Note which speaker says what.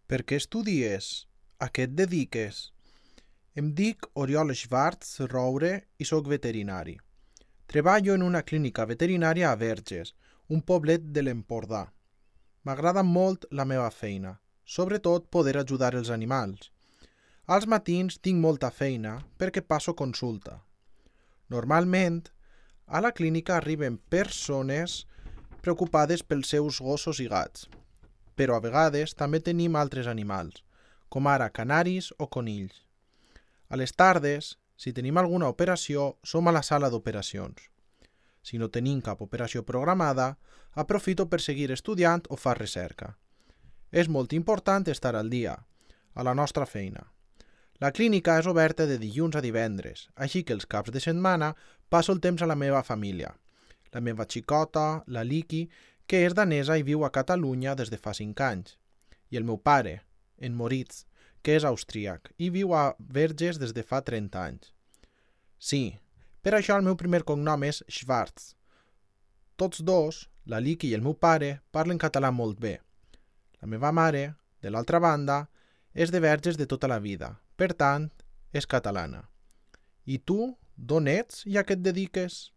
Speaker 1: Per què estudies? A què et dediques? Em dic Oriol Schwartz Roure i sóc veterinari. Treballo en una clínica veterinària a Verges, un poblet de l'Empordà. M'agrada molt la meva feina, sobretot poder ajudar els animals. Als matins tinc molta feina perquè passo consulta. Normalment, a la clínica arriben persones preocupades pels seus gossos i gats, però a vegades també tenim altres animals, com ara canaris o conills. A les tardes, si tenim alguna operació, som a la sala d'operacions. Si no tenim cap operació programada, aprofito per seguir estudiant o fer recerca. És molt important estar al dia, a la nostra feina. La clínica és oberta de dilluns a divendres, així que els caps de setmana passo el temps a la meva família. La meva xicota, la Liki, que és danesa i viu a Catalunya des de fa 5 anys. I el meu pare, en Moritz, que és austríac i viu a Verges des de fa 30 anys. Sí, per això el meu primer cognom és Schwartz. Tots dos, la Liki i el meu pare, parlen català molt bé. La meva mare, de l'altra banda, és de Verges de tota la vida, per tant, és catalana. I tu, d'on ets i a què et dediques?